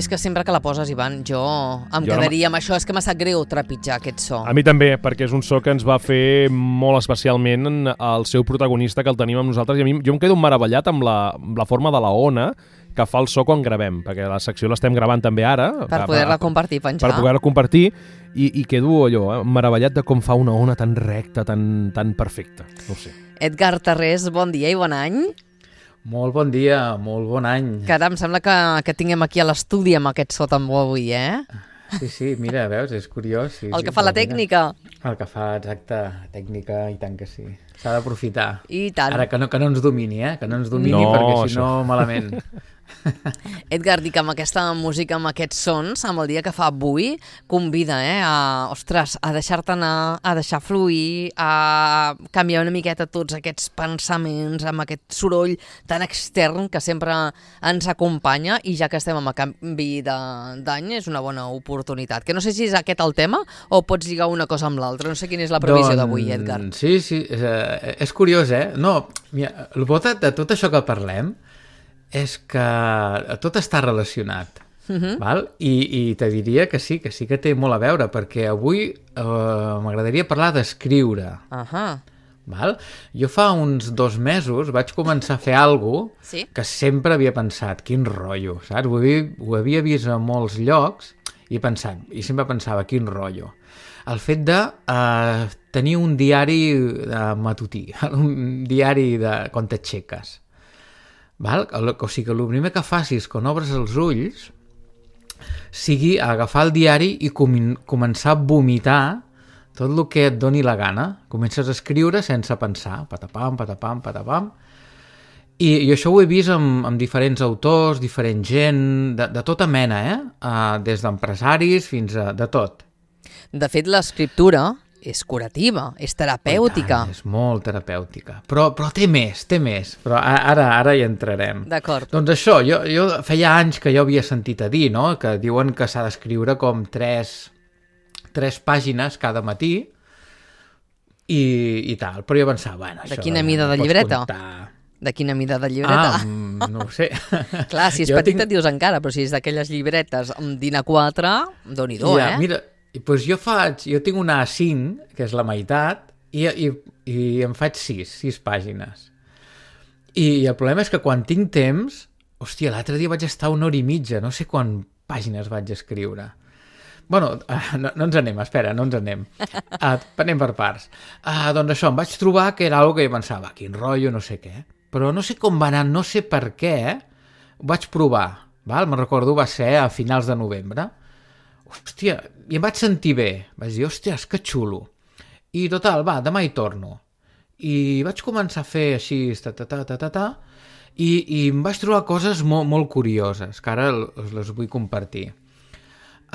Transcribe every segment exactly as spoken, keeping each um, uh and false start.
És que sempre que la poses, Ivan, jo em Jo quedaria amb això. És que m'ha sap greu trepitjar aquest so. A mi també, perquè és un so que ens va fer molt especialment el seu protagonista, que el tenim amb nosaltres, i a mi jo em quedo meravellat amb la, amb la forma de la ona que fa el so quan gravem, perquè la secció l'estem gravant també ara. Per poder-la compartir, penjar. Per poder-la compartir, i, i quedo allò, eh, meravellat de com fa una ona tan recta, tan, tan perfecta. No ho sé. Edgar Tarrés, bon dia i bon any. Molt bon dia, molt bon any. Caram, sembla que, que tinguem aquí a l'estudi amb aquest so tan bo avui, eh? Sí, sí, mira, veus, és curiós. Sí, el sí, que fa la mira. tècnica. El que fa, exacte, tècnica, i tant que sí. S'ha d'aprofitar. I tant. Ara que no, que no ens domini, eh? Que no ens domini, no, perquè si això. no, malament. Edgar, dic, amb aquesta música, amb aquests sons, amb el dia que fa avui, convida, eh, a, ostres, a deixar-te anar, a deixar fluir, a canviar una miqueta tots aquests pensaments, amb aquest soroll tan extern que sempre ens acompanya, i ja que estem amb el canvi d'any, és una bona oportunitat. Que no sé si és aquest el tema o pots lligar una cosa amb l'altra. No sé quina és la previsió doncs, d'avui, Edgar. Sí, sí, és, eh, és curiós, eh? No, mira, el bo de, de tot això que parlem és que tot està relacionat, uh-huh. val? I, i te diria que sí, que sí que té molt a veure, perquè avui eh, m'agradaria parlar d'escriure. Uh-huh. Val? Jo fa uns dos mesos vaig començar a fer alguna cosa sí? que sempre havia pensat, quin rotllo, saps? Ho havia, ho havia vist a molts llocs i pensat, i sempre pensava, quin rotllo. El fet de eh, tenir un diari de matutí, un diari de quan t'aixeques. Val? O sigui que el primer que facis quan obres els ulls sigui agafar el diari i com començar a vomitar tot el que et doni la gana. Comences a escriure sense pensar, patapam, patapam, patapam. I, i això ho he vist amb, amb diferents autors, diferent gent, de, de tota mena, eh? Uh, des d'empresaris fins a de tot. De fet, l'escriptura és curativa, és terapèutica. Tant, és molt terapèutica. Però, però té més, té més. Però ara, ara hi entrarem. D'acord. Doncs això, jo, jo feia anys que jo havia sentit a dir, no?, que diuen que s'ha d'escriure com tres, tres pàgines cada matí i, i tal. Però jo pensava, bueno, això... De quina mida de pots llibreta? Comptar. De quina mida de llibreta? Ah, no ho sé. Clar, si és jo petit tinc... et dius encara, però si és d'aquelles llibretes amb din A quatre, doni-do, ja, eh? Mira, doncs jo faig, jo tinc una A cinc, que és la meitat, i, i, i em faig sis, sis pàgines. I, I el problema és que quan tinc temps, hòstia, l'altre dia vaig estar una hora i mitja, no sé quan pàgines vaig escriure. Bueno, uh, no, no ens anem, espera, no ens anem. Uh, anem per parts. Uh, doncs això, em vaig trobar que era algo que jo pensava, quin rotllo, no sé què. Però no sé com va anar, no sé per què, ho vaig provar, val? Me'n recordo, va ser a finals de novembre. Hòstia, i em vaig sentir bé. Vaig dir, hòstia, que xulo. I total, va, demà hi torno. I vaig començar a fer així, ta, ta, ta, ta, ta, ta, i, i em vaig trobar coses molt, molt curioses, que ara us les vull compartir.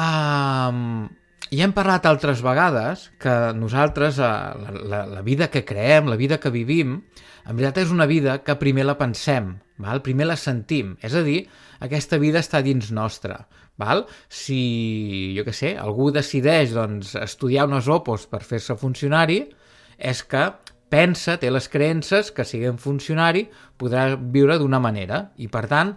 Um, ja hem parlat altres vegades que nosaltres, la, la, la vida que creem, la vida que vivim, en veritat és una vida que primer la pensem, val? Primer la sentim. És a dir, aquesta vida està dins nostra. Val? Si, jo què sé, algú decideix doncs, estudiar unes opos per fer-se funcionari, és que pensa, té les creences que siguent funcionari podrà viure d'una manera i, per tant,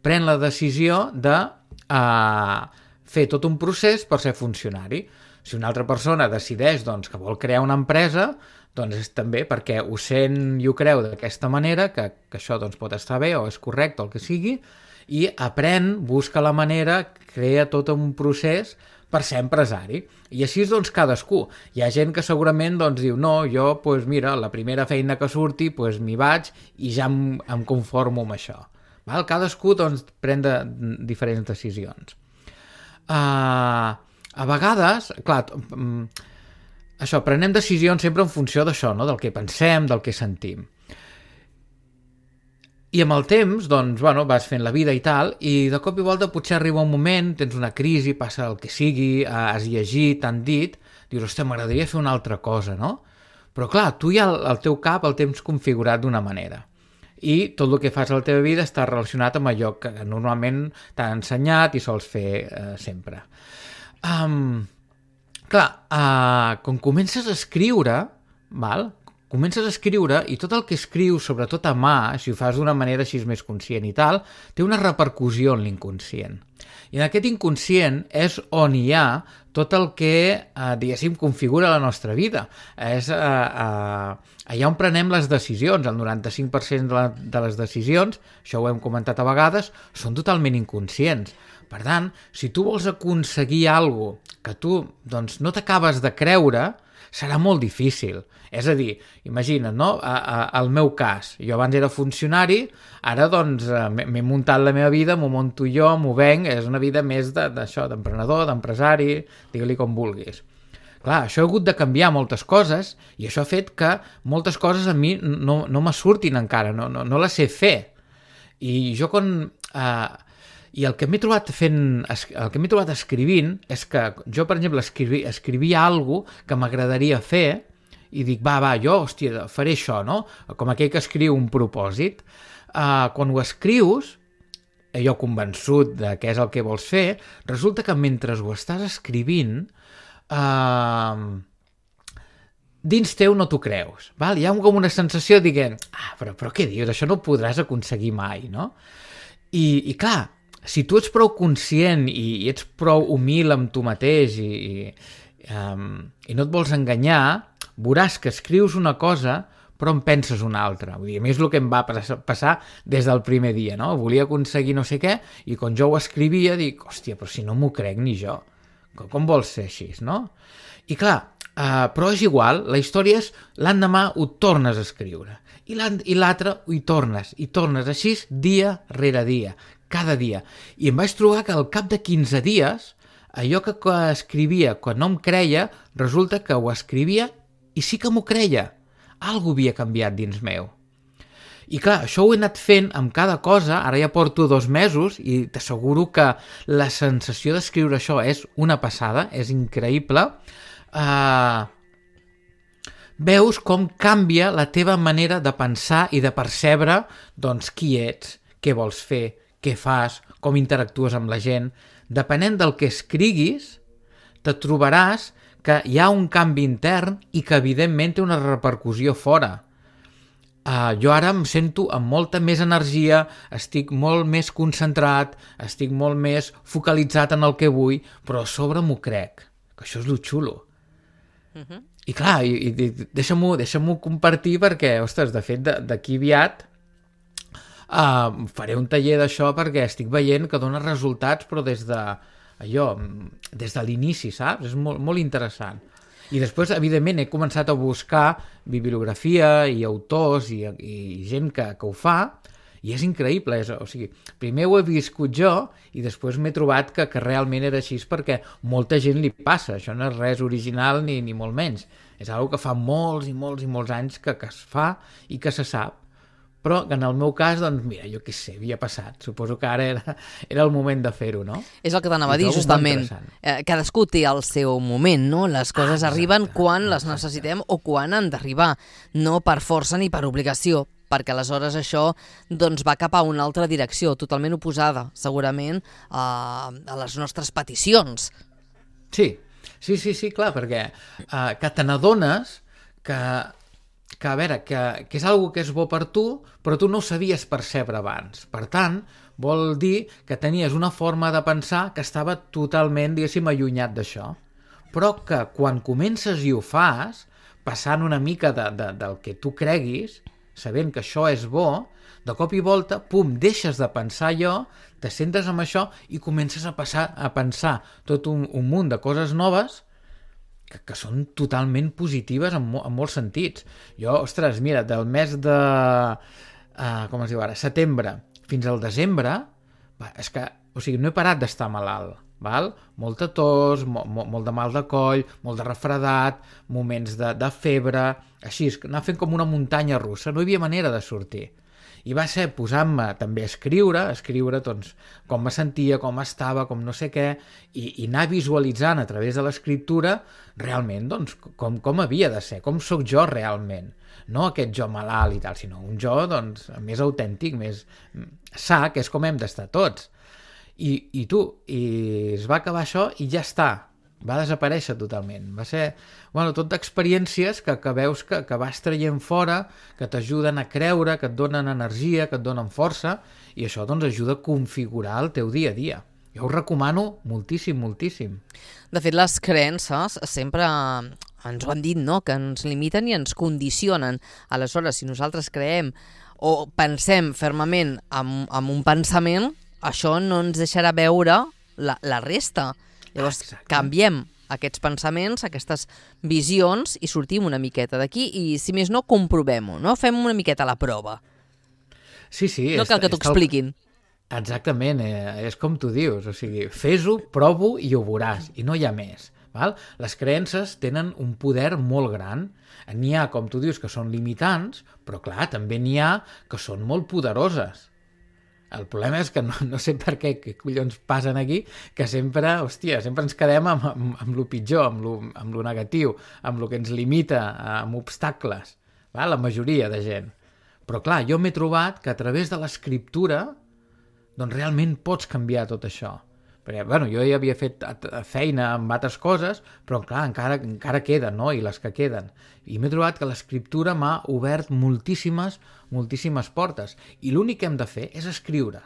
pren la decisió de uh, fer tot un procés per ser funcionari. Si una altra persona decideix doncs, que vol crear una empresa, doncs és també perquè ho sent i ho creu d'aquesta manera, que, que això doncs, pot estar bé o és correcte, el que sigui, i aprèn, busca la manera, crea tot un procés per ser empresari. I així doncs cadascú. Hi ha gent que segurament doncs, diu no, jo pues, mira, la primera feina que surti pues, m'hi vaig i ja em, em conformo amb això. Val? Cadascú doncs, pren de, diferents decisions. Uh, a vegades, clar, um, això, prenem decisions sempre en funció d'això, no? Del que pensem, del que sentim. I amb el temps, doncs, bueno, vas fent la vida i tal, i de cop i volta potser arriba un moment, tens una crisi, passa el que sigui, has llegit, t'han dit, dius, hòstia, m'agradaria fer una altra cosa, no? Però clar, tu ja el, el teu cap el tens configurat d'una manera. I tot el que fas a la teva vida està relacionat amb allò que normalment t'han ensenyat i sols fer eh, sempre. Um, clar, uh, quan comences a escriure, val? comences a escriure i tot el que escrius, sobretot a mà, si ho fas d'una manera així més conscient i tal, té una repercussió en l'inconscient. I en aquest inconscient és on hi ha tot el que, eh, diguéssim, configura la nostra vida. És eh, eh, allà on prenem les decisions. El noranta-cinc per cent de, la, de les decisions, això ho hem comentat a vegades, són totalment inconscients. Per tant, si tu vols aconseguir alguna cosa que tu doncs, no t'acabes de creure, serà molt difícil. És a dir, imagina't, no? A, a, el meu cas, jo abans era funcionari, ara doncs m'he muntat la meva vida, m'ho monto jo, m'ho venc, és una vida més d'això, d'emprenedor, d'empresari, digue-li com vulguis. Clar, això ha hagut de canviar moltes coses i això ha fet que moltes coses a mi no, no me surtin encara, no, no, no les sé fer. I jo quan... Eh, I el que m'he trobat fent, el que m'he trobat escrivint és que jo, per exemple, escrivi, escrivia alguna cosa que m'agradaria fer i dic, va, va, jo, hòstia, faré això, no? Com aquell que escriu un propòsit. Uh, quan ho escrius, jo convençut de què és el que vols fer, resulta que mentre ho estàs escrivint, uh, dins teu no t'ho creus. Val? Hi ha com una sensació dient, ah, però, però què dius? Això no ho podràs aconseguir mai, no? I, i clar, si tu ets prou conscient i, i ets prou humil amb tu mateix i, i, um, i no et vols enganyar, veuràs que escrius una cosa però en penses una altra. Vull dir, a mi és el que em va passar des del primer dia, no? Volia aconseguir no sé què i quan jo ho escrivia dic, hòstia, però si no m'ho crec ni jo. Com, com vols ser així, no? I clar, uh, però és igual, la història és l'endemà ho tornes a escriure i l'altre hi tornes, i tornes així dia rere dia, cada dia. I em vaig trobar que al cap de quinze dies, allò que escrivia quan no em creia, resulta que ho escrivia i sí que m'ho creia. Algo havia canviat dins meu. I clar, això ho he anat fent amb cada cosa, ara ja porto dos mesos i t'asseguro que la sensació d'escriure això és una passada, és increïble. Uh, veus com canvia la teva manera de pensar i de percebre doncs, qui ets, què vols fer, què fas, com interactues amb la gent. Depenent del que escriguis, te trobaràs que hi ha un canvi intern i que evidentment té una repercussió fora. Uh, jo ara em sento amb molta més energia, estic molt més concentrat, estic molt més focalitzat en el que vull, però a sobre m'ho crec, que això és lo xulo. Uh-huh. I clar, i, i, deixa-m'ho deixa-m'ho compartir perquè, ostres, de fet, d'aquí aviat Uh, faré un taller d'això perquè estic veient que dona resultats però des de allò, des de l'inici, saps? És molt, molt interessant. I després, evidentment, he començat a buscar bibliografia i autors i, i gent que, que ho fa i és increïble. És, o sigui, primer ho he viscut jo i després m'he trobat que, que realment era així perquè molta gent li passa. Això no és res original ni, ni molt menys. És una cosa que fa molts i molts i molts anys que, que es fa i que se sap. Però que en el meu cas, doncs, mira, jo què sé, havia passat. Suposo que ara era, era el moment de fer-ho, no? És el que t'anava a dir, justament. Eh, cadascú té el seu moment, no? Les coses ah, arriben quan les necessitem o quan han d'arribar. No per força ni per obligació, perquè aleshores això doncs, va cap a una altra direcció, totalment oposada, segurament, a, a les nostres peticions. Sí, sí, sí, sí, clar, perquè eh, que te n'adones que... que, a veure, que, que és algo que és bo per tu, però tu no ho sabies percebre abans. Per tant, vol dir que tenies una forma de pensar que estava totalment, diguéssim, allunyat d'això. Però que quan comences i ho fas, passant una mica de, de, del que tu creguis, sabent que això és bo, de cop i volta, pum, deixes de pensar allò, te centres en això i comences a, passar, a pensar tot un, un munt de coses noves que, que són totalment positives en, mo en molts sentits. Jo, ostres, mira, del mes de... Uh, com es diu ara? Setembre fins al desembre, va, és que, o sigui, no he parat d'estar malalt, val? Molta tos, mo mo molt de mal de coll, molt de refredat, moments de, de febre, així, anar fent com una muntanya russa, no hi havia manera de sortir. I va ser posant-me també a escriure, a escriure doncs, com me sentia, com estava, com no sé què, i, i anar visualitzant a través de l'escriptura realment doncs, com, com havia de ser, com sóc jo realment. No aquest jo malalt i tal, sinó un jo doncs, més autèntic, més sa, que és com hem d'estar tots. I, i tu, i es va acabar això i ja està. va desaparèixer totalment. Va ser, bueno, tot d'experiències que, que veus que, que vas traient fora, que t'ajuden a creure, que et donen energia, que et donen força, i això doncs ajuda a configurar el teu dia a dia. Jo ho recomano moltíssim, moltíssim. De fet, les creences sempre ens ho han dit, no?, que ens limiten i ens condicionen. Aleshores, si nosaltres creem o pensem fermament en, en un pensament, això no ens deixarà veure la, la resta. Llavors, Exacte. canviem aquests pensaments, aquestes visions i sortim una miqueta d'aquí i, si més no, comprovem-ho, no? Fem una miqueta la prova. Sí, sí. No cal que t'ho expliquin. Exactament, eh, és com tu dius, o sigui, fes-ho, provo i ho veuràs, i no hi ha més. Val? Les creences tenen un poder molt gran. N'hi ha, com tu dius, que són limitants, però clar, també n'hi ha que són molt poderoses. El problema és que no, no sé per què, què collons passen aquí, que sempre, hòstia, sempre ens quedem amb, amb, amb lo pitjor, amb lo, amb lo negatiu, amb lo que ens limita, amb obstacles, va? La majoria de gent. Però clar, jo m'he trobat que a través de l'escriptura doncs realment pots canviar tot això. Perquè, bueno, jo ja havia fet feina amb altres coses, però clar, encara, encara queden, no?, i les que queden. I m'he trobat que l'escriptura m'ha obert moltíssimes, moltíssimes portes. I l'únic que hem de fer és escriure.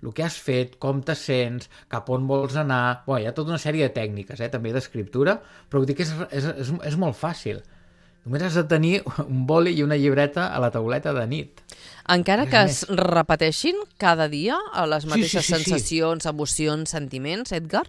El que has fet, com te sents, cap on vols anar... Bé, hi ha tota una sèrie de tècniques, eh, també d'escriptura, però vull dir que és, és, és, és molt fàcil. Només has de tenir un boli i una llibreta a la tauleta de nit. Encara que es repeteixin cada dia les mateixes sí, sí, sí, sí. sensacions, emocions, sentiments, Edgar?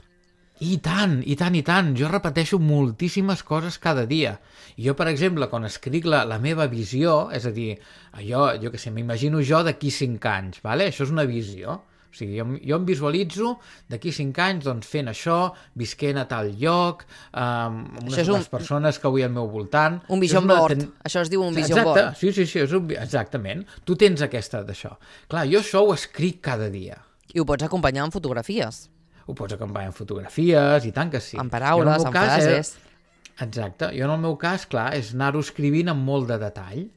I tant, i tant, i tant. Jo repeteixo moltíssimes coses cada dia. I jo, per exemple, quan escric la, la meva visió, és a dir, jo, jo què sé, m'imagino jo d'aquí cinc anys, vale? Això és una visió. O sigui, jo, jo em visualitzo d'aquí cinc anys doncs, fent això, visquent a tal lloc, amb unes un... les persones que vull al meu voltant. Un vision una... board. Ten... Això es diu un vision Exacte. board. Sí, sí, sí, és un... exactament. Tu tens aquesta d'això. Clar, jo això ho escric cada dia. I ho pots acompanyar amb fotografies. Ho pots acompanyar amb fotografies, i tant que sí. Amb paraules, amb cas, frases. Eh... Exacte. Jo en el meu cas, clar, és anar-ho escrivint amb molt de detall,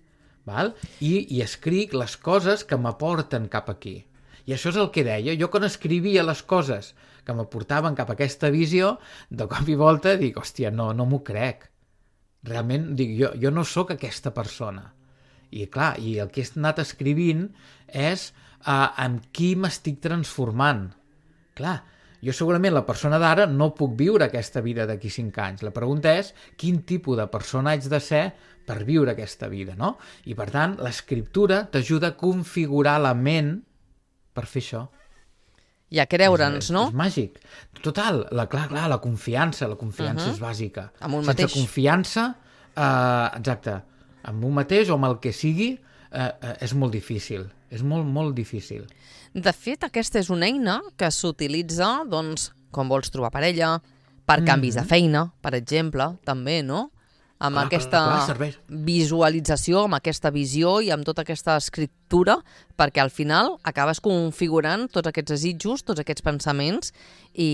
val? I, i escric les coses que m'aporten cap aquí. I això és el que deia. Jo quan escrivia les coses que m'aportaven cap a aquesta visió, de cop i volta dic, hòstia, no, no m'ho crec. Realment, dic, jo, jo no sóc aquesta persona. I clar, i el que he anat escrivint és uh, amb qui m'estic transformant. Clar, jo segurament la persona d'ara no puc viure aquesta vida d'aquí cinc anys. La pregunta és quin tipus de persona haig de ser per viure aquesta vida, no? I per tant, l'escriptura t'ajuda a configurar la ment per fer això. I a creure'ns, no? És, és màgic. Total, la, clar, clar, la confiança, la confiança uh-huh. és bàsica. Amb un Sense mateix. confiança, eh, exacte, amb un mateix o amb el que sigui, eh, eh, és molt difícil. És molt, molt difícil. De fet, aquesta és una eina que s'utilitza, doncs, quan vols trobar parella, per canvis mm-hmm. de feina, per exemple, també, no? Amb clar, aquesta clar, clar, visualització, amb aquesta visió i amb tota aquesta escriptura, perquè al final acabes configurant tots aquests desitjos, tots aquests pensaments, i,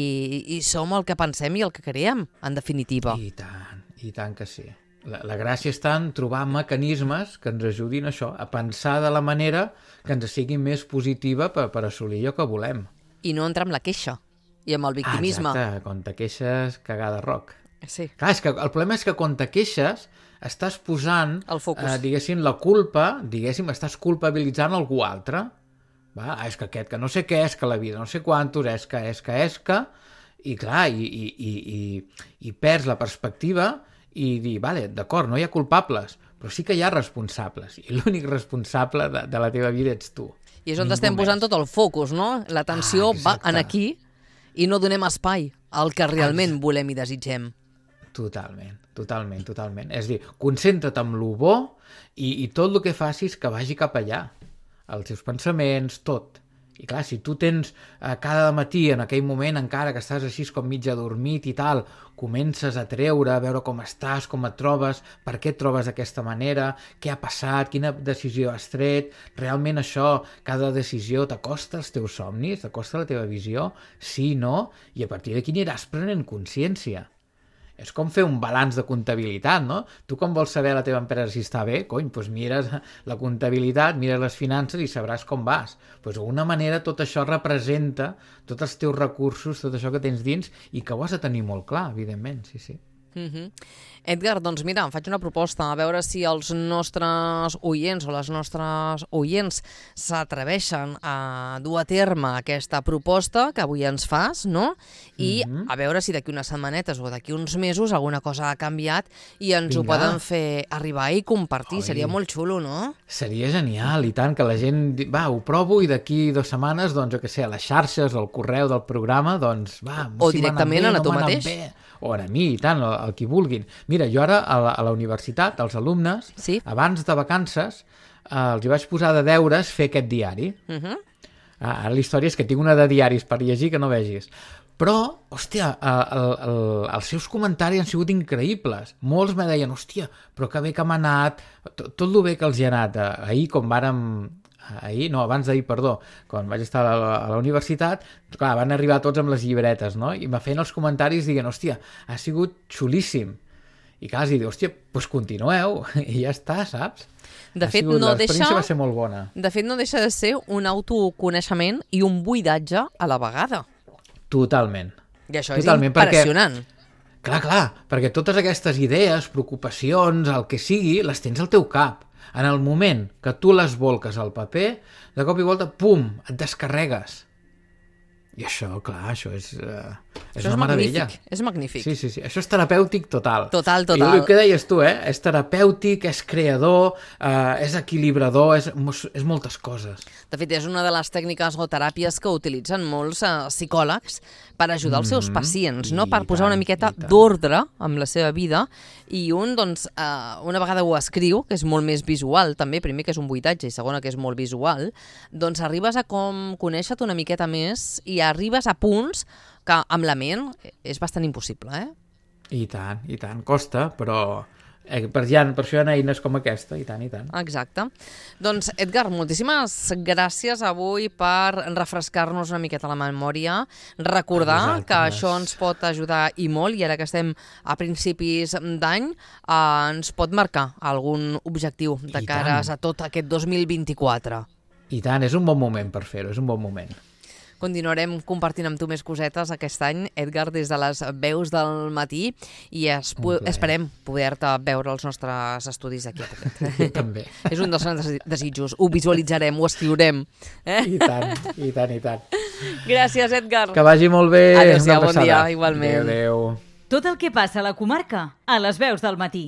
i som el que pensem i el que creem, en definitiva. I tant, i tant que sí. La, la gràcia està en trobar mecanismes que ens ajudin a això, a pensar de la manera que ens sigui més positiva per, per assolir allò que volem. I no entrar amb la queixa i amb el victimisme. Ah, exacte, quan te queixes, cagada roc. Sí. Clar, és que el problema és que quan te queixes estàs posant, el focus. Eh, diguéssim, la culpa, diguéssim, estàs culpabilitzant algú altre. Va? Ah, és que aquest, que no sé què és, que la vida, no sé quantos, és que, és que, és que... I clar, i, i, i, i, i perds la perspectiva i dir, vale, d'acord, no hi ha culpables, però sí que hi ha responsables, i l'únic responsable de, de la teva vida ets tu. I és on Ningú estem més. posant tot el focus, no? L'atenció Ah, va exacte. en aquí i no donem espai al que realment volem i desitgem. Totalment, totalment, totalment. És a dir, concentra't amb lo bo i, i tot el que facis que vagi cap allà. Els teus pensaments, tot. I clar, si tu tens eh, cada matí, en aquell moment encara que estàs així com mig adormit i tal, comences a treure, a veure com estàs, com et trobes, per què et trobes d'aquesta manera, què ha passat, quina decisió has tret, realment això, cada decisió t'acosta als teus somnis, t'acosta a la teva visió, sí, no, i a partir d'aquí aniràs prenent consciència. És com fer un balanç de comptabilitat, no? Tu com vols saber la teva empresa si està bé, cony, doncs mires la comptabilitat, mires les finances i sabràs com vas. Doncs d'alguna manera tot això representa tots els teus recursos, tot això que tens dins i que ho has de tenir molt clar, evidentment, sí, sí. Uh-huh. Edgar, doncs mira, em faig una proposta, a veure si els nostres oients o les nostres oients s'atreveixen a dur a terme aquesta proposta que avui ens fas, no? I uh-huh. a veure si d'aquí unes setmanetes o d'aquí uns mesos alguna cosa ha canviat i ens Vinga. Ho poden fer arribar i compartir. Oi. Seria molt xulo, no? Seria genial, i tant, que la gent va, ho provo i d'aquí dues setmanes, doncs, jo què sé, a les xarxes o al correu del programa, doncs, va, o si directament bé, a tu no mateix. Bé. O a mi, i tant, el, el qui vulguin. Mira, jo ara a la, a la universitat, els alumnes, sí? abans de vacances, eh, els hi vaig posar de deures fer aquest diari. Uh-huh. Ah, ara la història és que tinc una de diaris per llegir que no vegis. Però, hòstia, el, el, els seus comentaris han sigut increïbles. Molts me deien, hòstia, però que bé que m'ha anat, tot, tot el bé que els hi ha anat. Ahir, com vàrem... ahir, no, abans d'ahir, perdó, quan vaig estar a la, a la universitat, clar, van arribar tots amb les llibretes, no? I me feien els comentaris dient, hòstia, ha sigut xulíssim. I clar, els dic, hòstia, doncs continueu, i ja està, saps? De fet, sigut, no deixa... va ser molt bona. De fet, no deixa de ser un autoconeixement i un buidatge a la vegada. Totalment. I això Totalment, és impressionant. Perquè, clar, clar, perquè totes aquestes idees, preocupacions, el que sigui, les tens al teu cap. En el moment que tu les volques al paper, de cop i volta, pum, et descarregues. I això, clar, això és, uh, és això una és meravella. Magnífic, és magnífic. Sí, sí, sí. Això és terapèutic total. Total, total. I el que deies tu, eh? És terapèutic, és creador, uh, és equilibrador, és, és moltes coses. De fet, és una de les tècniques o teràpies que utilitzen molts uh, psicòlegs per ajudar els seus mm-hmm. pacients, no? Per posar tant, una miqueta d'ordre amb la seva vida, i un, doncs, uh, una vegada ho escriu, que és molt més visual, també, primer que és un buidatge i segona que és molt visual, doncs arribes a com conèixer-te una miqueta més i arribes a punts que amb la ment és bastant impossible, eh? I tant, i tant. Costa, però eh, per, ja, per això hi ha eines com aquesta, i tant, i tant. Exacte. Doncs, Edgar, moltíssimes gràcies avui per refrescar-nos una miqueta la memòria, recordar que això ens pot ajudar i molt, i ara que estem a principis d'any, eh, ens pot marcar algun objectiu de cares a tot aquest dos mil vint-i-quatre. I tant, és un bon moment per fer-ho, és un bon moment. Continuarem compartint amb tu més cosetes aquest any, Edgar, des de les veus del matí, i es esperem poder-te veure als nostres estudis d'aquí a poquet. També. És un dels nostres desitjos. Ho visualitzarem, ho escriurem. Eh? I tant, i tant, i tant. Gràcies, Edgar. Que vagi molt bé. Adéu-siau, bon dia, igualment. Adéu, adéu. Tot el que passa a la comarca, a les veus del matí.